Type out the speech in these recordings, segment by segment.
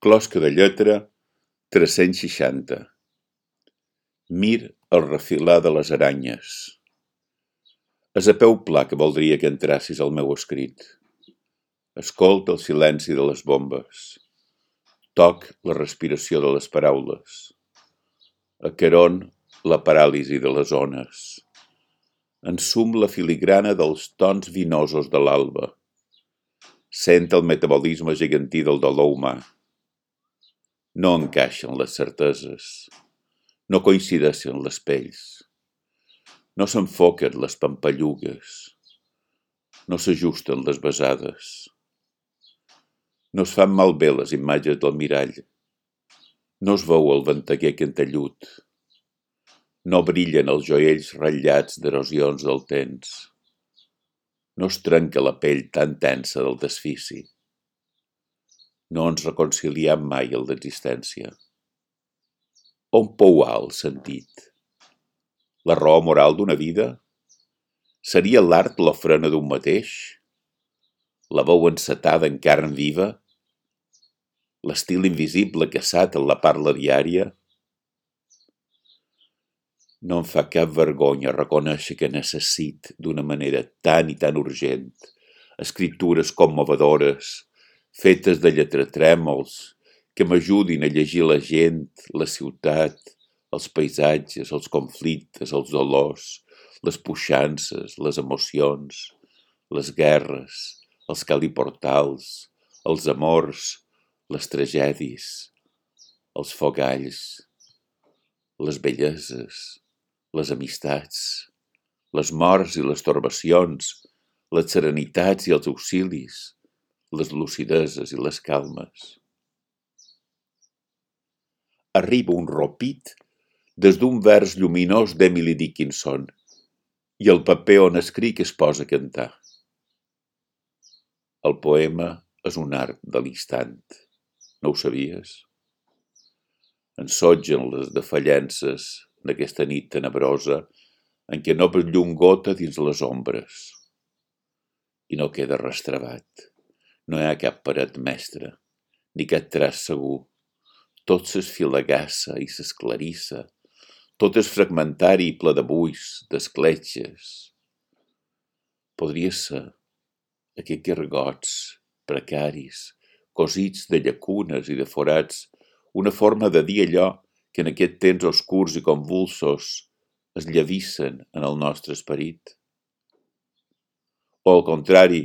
Closca de lletra 360. Mir el refilar de les aranyes. És a peu pla que voldria que entrassis al meu escrit. Escolta el silenci de les bombes. Toc la respiració de les paraules. Acaron la paràlisi de les ones. Ensum la filigrana dels tons vinosos de l'alba. Sent el metabolisme gegantí del dolor humà. No encaixen les certeses. No coincideixen les pells. No s'enfoquen les pampallugues. No s'ajusten les besades. No es fan malbé les imatges del mirall. No es veu el venteguer cantellut. No brillen els joiells ratllats d'erosions del temps. No es trenca la pell tan tensa del desfici. No ens reconciliem mai en l'existència. On pouà el sentit? La raó moral d'una vida? Seria l'art l'ofrena d'un mateix? La veu encetada en carn viva? L'estil invisible caçat en la parla diària? No em fa cap vergonya reconèixer que necessit, d'una manera tan i tan urgent, escriptures commovedores, fetes de lletratrèmols, que m'ajudin a llegir la gent, la ciutat, els paisatges, els conflictes, els dolors, les puixances, les emocions, les guerres, els caliportals, els amors, les tragèdies, els fogalls, les belleses, les amistats, les morts i les torbacions, les serenitats i els auxilis, les lucideses i les calmes. Arriba un ropit des d'un vers lluminós d'Emily Dickinson i el paper on escric es posa a cantar. El poema és un art de l'instant. No ho sabies? Ensotgen les defallences d'aquesta nit tenebrosa en què no llum gota dins les ombres. I no queda restrebat. No hi ha cap paret mestra, ni cap traç segur. Tot s'esfilagassa i s'esclarissa. Tot és fragmentari i ple de buits, d'escletxes. Podria ser aquests gargots precaris, cosits de llacunes i de forats, una forma de dir allò que en aquests temps oscurs i convulsos es llavissen en el nostre esperit. O al contrari,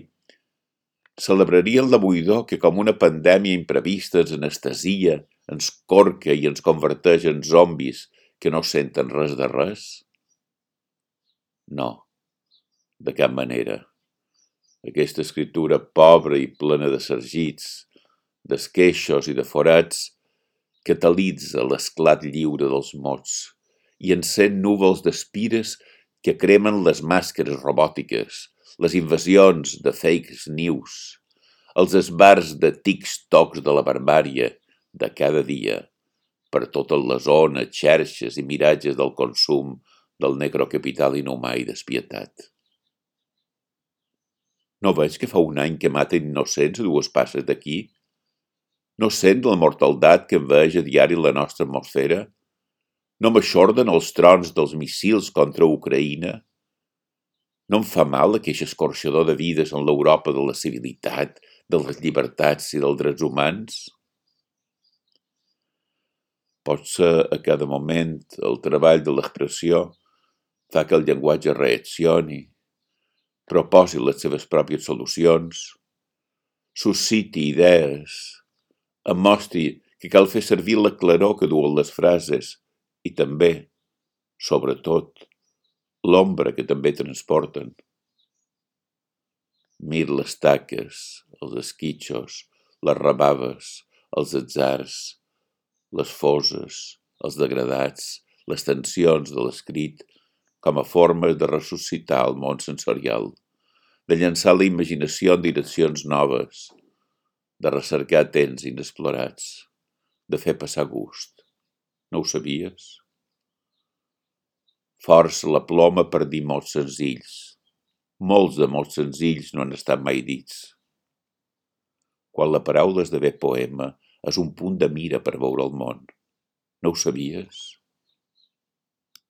celebrarien la buidor que com una pandèmia imprevista ens anestesia, ens corca i ens converteix en zombis que no senten res de res? No, de cap manera. Aquesta escriptura pobra i plena de sargits, d'esqueixos i de forats, catalitza l'esclat lliure dels mots i encén núvols d'espires que cremen les màscares robòtiques, les invasions de fake news, els esbars de tics-tocs de la barbària de cada dia, per totes les ones, xerxes i miratges del consum del necrocapital inhumà i despietat. No veig que fa un any que maten innocents a dues passes d'aquí? No sent la mortaldat que enveja a diari la nostra atmosfera? No m'aixorden els trons dels missils contra Ucraïna? No em fa mal aqueix escorxador de vides en l'Europa de la civilitat, de les llibertats i dels drets humans? Potser a cada moment el treball de l'expressió fa que el llenguatge reaccioni, proposi les seves pròpies solucions, susciti idees, em mostri que cal fer servir la claror que duen les frases i també, sobretot, l'ombra que també transporten. Mir les taques, els esquitxos, les rebaves, els atzars, les foses, els degradats, les tensions de l'escrit com a formes de ressuscitar el món sensorial, de llançar la imaginació en direccions noves, de recercar temps inexplorats, de fer passar gust. No ho sabies? Força la ploma per dir mots senzills. Molts de mots senzills no han estat mai dits. Quan la paraula esdevé poema, és un punt de mira per veure el món. No ho sabies?